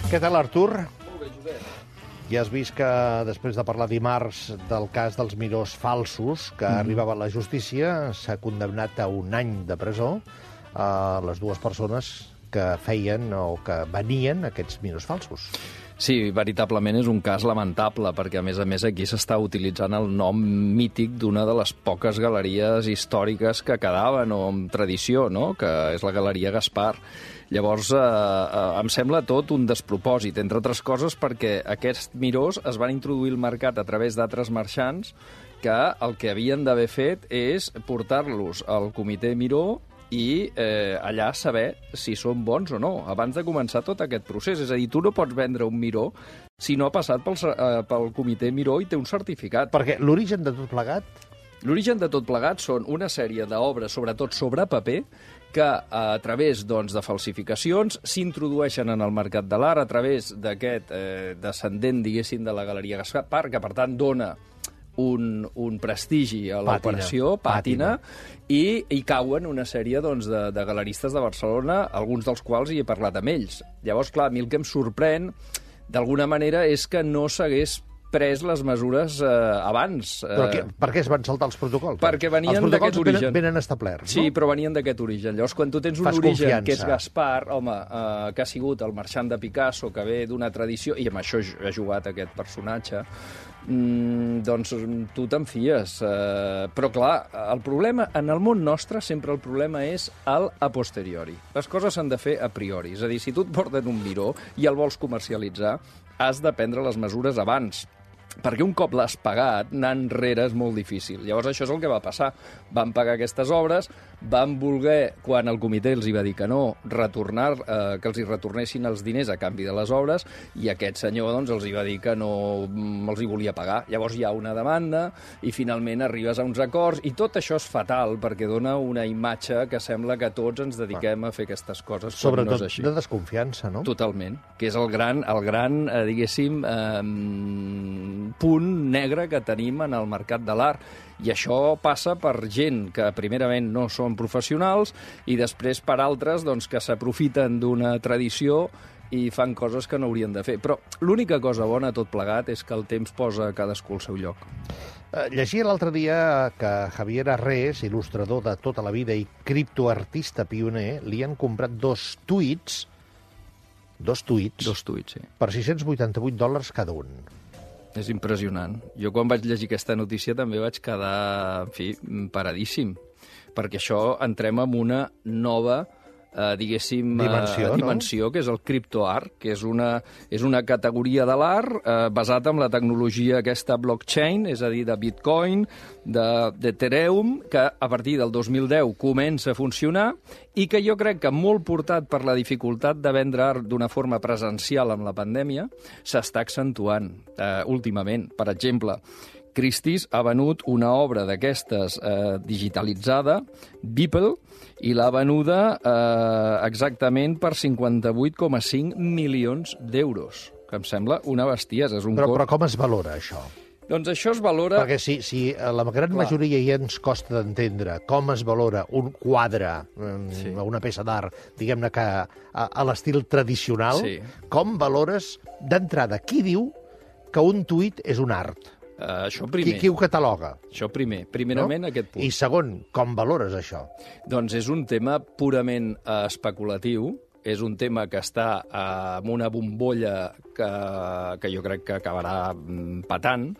Què tal, Artur? Molt bé, Josep. Ja has vist que després de parlar dimarts del cas dels mirós falsos que arribava a la justícia, s'ha condemnat a 1 any de presó a les dues persones que feien o que venien aquests mirós falsos. Sí, veritablement és un cas lamentable, perquè a més aquí s'està utilitzant el nom mític d'una de les poques galeries històriques que quedaven, o amb tradició, no?, que és la Galeria Gaspar. Llavors, em sembla tot un despropòsit, entre altres coses perquè aquests mirós es van introduir al mercat a través d'altres marxants que el que havien d'haver fet és portar-los al comitè Miró i allà saber si són bons o no, abans de començar tot aquest procés. És a dir, tu no pots vendre un miró si no ha passat pel comitè Miró i té un certificat. Perquè l'origen de tot plegat... L'origen de tot plegat són una sèrie d'obres, sobretot sobre paper, que a través de falsificacions s'introdueixen en el mercat de l'art a través d'aquest descendent, diguéssim, de la Galeria Gaspar, que per tant dona un prestigi a l'operació, pàtina, i cauen una sèrie de galeristes de Barcelona, alguns dels quals hi he parlat amb ells. Llavors, clar, a mi el que em sorprèn, d'alguna manera, és que no s'hagués pres les mesures abans. Però per què es van saltar els protocols? Perquè venien d'aquest origen. Els protocols venen establerts, no? Sí, però venien d'aquest origen. Llavors, quan tu tens un origen que és Gaspar, home, que ha sigut el marxant de Picasso, que ve d'una tradició, i amb això ha jugat aquest personatge, doncs tu te'n fies. Però, clar, el problema, en el món nostre, sempre el problema és el a posteriori. Les coses s'han de fer a priori. És a dir, si tu et porten un miró i el vols comercialitzar, has de prendre les mesures abans, perquè un cop l'has pagat, anar enrere és molt difícil. Llavors això és el que va passar. Van pagar aquestes obres, van voler, quan el comitè els hi va dir que no, que els hi retornessin els diners a canvi de les obres, i aquest senyor els hi va dir que no els hi volia pagar. Llavors hi ha una demanda i finalment arribes a uns acords, i tot això és fatal perquè dona una imatge que sembla que tots ens dediquem a fer aquestes coses quan no és així. Sobretot de desconfiança, no? Totalment, que és el gran diguéssim, punt negre que tenim en el mercat de l'art. I això passa per gent que primerament no són professionals i després per altres que s'aprofiten d'una tradició i fan coses que no haurien de fer. Però l'única cosa bona a tot plegat és que el temps posa cadascú al seu lloc. Llegia l'altre dia que Javier Arrés, il·lustrador de tota la vida i criptoartista pioner, li han comprat dos tuits, sí. Per $688 cada un. És impressionant. Jo quan vaig llegir aquesta notícia també vaig quedar, en fi, paradíssim, perquè això entrem en una nova diguéssim, dimensió, que és el criptoart, que és una categoria de l'art basada en la tecnologia aquesta blockchain, és a dir, de Bitcoin, d'Ethereum, que a partir del 2010 comença a funcionar i que jo crec que molt portat per la dificultat de vendre art d'una forma presencial amb la pandèmia s'està accentuant últimament. Per exemple, Christie's ha venut una obra d'aquestes digitalitzada, Beeple, i l'ha venuda exactament per 58,5 milions d'euros, que em sembla una bestiesa. Però com es valora, això? Doncs això es valora... Perquè si la gran majoria ja ens costa d'entendre com es valora un quadre, una peça d'art, diguem-ne que a l'estil tradicional, com valores d'entrada? Qui diu que un tuit és un art? Això primer. Qui ho cataloga? Això primerament, no? Aquest punt. I segon, com valores això? Doncs és un tema purament especulatiu, és un tema que està en una bombolla que jo crec que acabarà patant.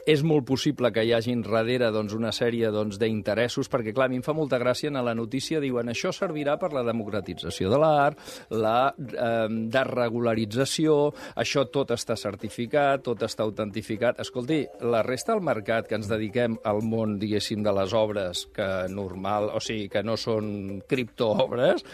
És molt possible que hi hagin darrere una sèrie d'interessos, perquè, clar, a mi em fa molta gràcia, en la notícia diuen això servirà per la democratització de l'art, la desregularització, això tot està certificat, tot està autentificat. Escolti, la resta del mercat que ens dediquem al món, diguéssim, de les obres que no són criptoobres,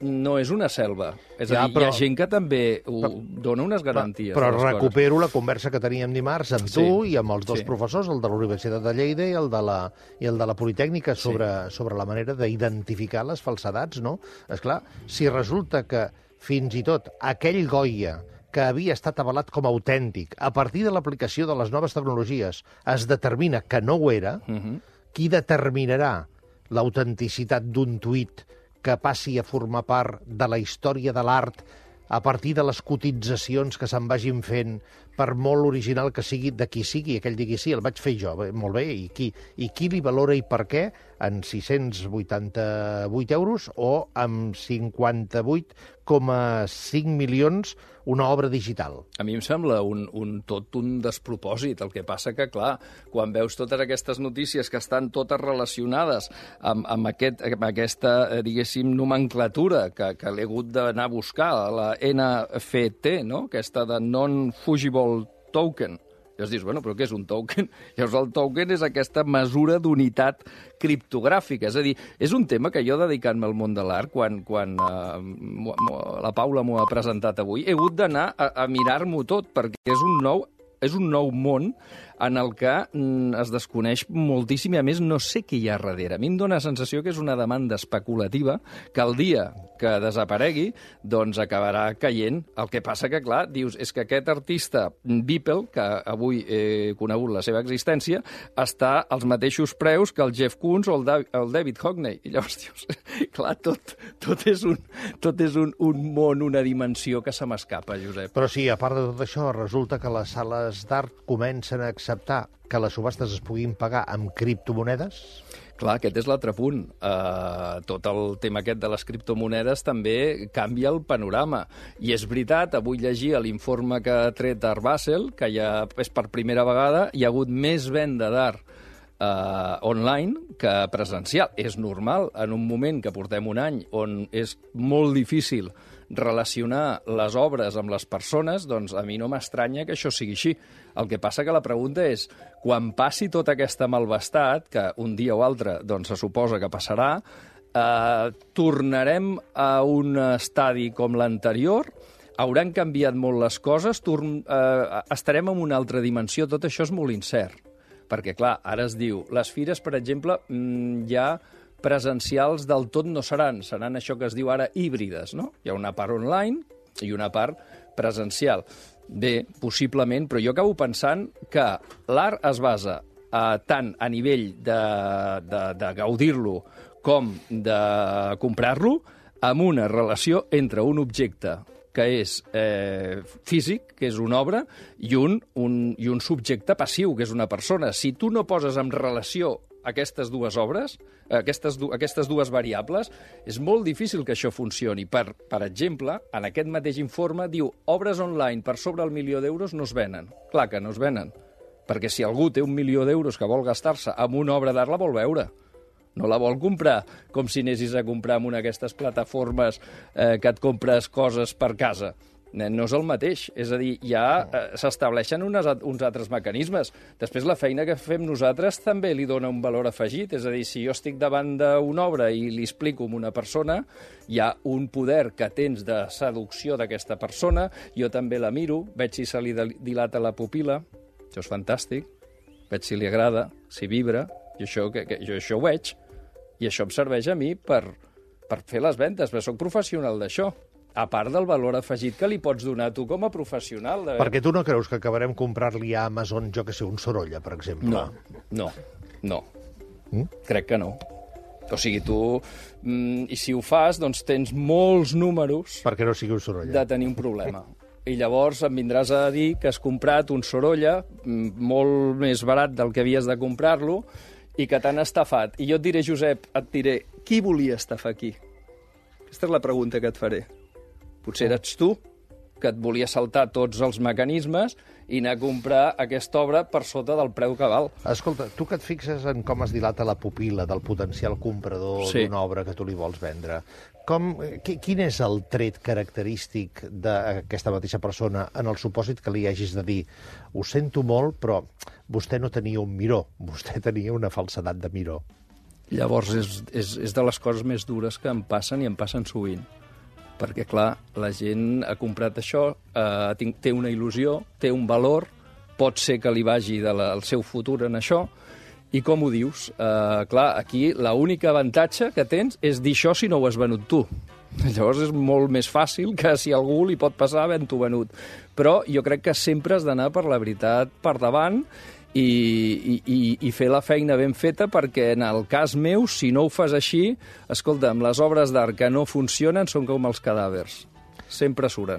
no és una selva. És a dir, hi ha gent que també dona unes garanties. Però recupero la conversa que teníem dimarts amb tu i amb els dos professors, el de la Universitat de Lleida i el de la Politècnica, sobre la manera d'identificar les falsedats, no? Esclar, si resulta que fins i tot aquell Goya que havia estat avalat com a autèntic, a partir de l'aplicació de les noves tecnologies es determina que no ho era, qui determinarà l'autenticitat d'un tuit que passi a formar part de la història de l'art a partir de les cotitzacions que se'n vagin fent, per molt original que sigui, de qui sigui, aquell digui sí, el vaig fer jo, molt bé, i qui li valora i per què, en 688 euros o amb 58,5 milions una obra digital. A mi em sembla tot un despropòsit. El que passa que, clar, quan veus totes aquestes notícies que estan totes relacionades amb aquesta, diguéssim, nomenclatura que l'he hagut d'anar a buscar, la NFT, no? Aquesta de Non-Fungible Token. Llavors dius, bueno, però què és un token? Llavors el token és aquesta mesura d'unitat criptogràfica. És a dir, és un tema que jo, dedicant-me al món de l'art, quan la Paula m'ho ha presentat avui, he hagut d'anar a mirar-m'ho tot, perquè és un nou món en el que es desconeix moltíssim i, a més, no sé què hi ha darrere. A mi em dóna la sensació que és una demanda especulativa que el dia que desaparegui doncs acabarà caient. El que passa que, clar, dius, és que aquest artista Beeple, que avui he conegut la seva existència, està als mateixos preus que el Jeff Koons o el David Hockney. I llavors dius, clar, tot és un món, una dimensió que se m'escapa, Josep. Però sí, a part de tot això, resulta que les sales d'art comencen a acceptar que les subhastes es puguin pagar amb criptomonedes? Clar, aquest és l'altre punt. Tot el tema aquest de les criptomonedes també canvia el panorama. I és veritat, avui llegia l'informe que ha tret Art Basel, que ja és per primera vegada, hi ha hagut més venda d'art online que presencial. És normal, en un moment que portem un any on és molt difícil relacionar les obres amb les persones, doncs a mi no m'estranya que això sigui així. El que passa que la pregunta és, quan passi tota aquesta malvestat, que un dia o altre doncs, se suposa que passarà, tornarem a un estadi com l'anterior, hauran canviat molt les coses, estarem en una altra dimensió, tot això és molt incert. Perquè, clar, ara es diu, les fires, per exemple, ja presencials del tot no seran això que es diu ara híbrides, no? Hi ha una part online i una part presencial. Bé, possiblement, però jo acabo pensant que l'art es basa tant a nivell de gaudir-lo com de comprar-lo, amb una relació entre un objecte que és físic, que és una obra, i un subjecte passiu, que és una persona. Si tu no poses en relació aquestes dues obres, aquestes dues variables, és molt difícil que això funcioni. Per exemple, en aquest mateix informe diu obres online per sobre el 1.000.000 d'euros no es venen. Clar que no es venen, perquè si algú té 1.000.000 d'euros que vol gastar-se en una obra d'art, la vol veure. No la vol comprar com si anessis a comprar en una d'aquestes plataformes que et compres coses per casa. No és el mateix. És a dir, ja s'estableixen uns altres mecanismes. Després, la feina que fem nosaltres també li dona un valor afegit. És a dir, si jo estic davant d'una obra i li explico a una persona, hi ha un poder que tens de seducció d'aquesta persona, jo també la miro, veig si se li dilata la pupil·la, això és fantàstic, veig si li agrada, si vibra, i jo això ho veig, i això em serveix a mi per fer les ventes, perquè soc professional d'això. A part del valor afegit que li pots donar tu com a professional. Perquè tu no creus que acabarem comprar-li a Amazon, jo que sé, un Sorolla, per exemple? No. Crec que no. O sigui, tu, i si ho fas, doncs tens molts números perquè no sigui un Sorolla. De tenir un problema. I llavors em vindràs a dir que has comprat un Sorolla molt més barat del que havies de comprar-lo i que t'han estafat. I jo et diré, Josep, qui volia estafar aquí? Aquesta és la pregunta que et faré. Potser eres tu, que et volia saltar tots els mecanismes i anar a comprar aquesta obra per sota del preu que val. Escolta, tu que et fixes en com es dilata la pupil·la del potencial comprador d'una obra que tu li vols vendre, quin és el tret característic d'aquesta mateixa persona en el supòsit que li hagis de dir ho sento molt, però vostè no tenia un miró, vostè tenia una falsedat de miró? Llavors és de les coses més dures que em passen i em passen sovint. Perquè, clar, la gent ha comprat això, té una il·lusió, té un valor, pot ser que li vagi el seu futur en això, i com ho dius? Clar, aquí l'únic avantatge que tens és dir això si no ho has venut tu. Llavors és molt més fàcil que si algú li pot passar havent-ho venut. Però jo crec que sempre has d'anar per la veritat per davant i fer la feina ben feta, perquè en el cas meu, si no ho fas així, escolta'm, les obres d'art que no funcionen són com els cadàvers. Sempre suren.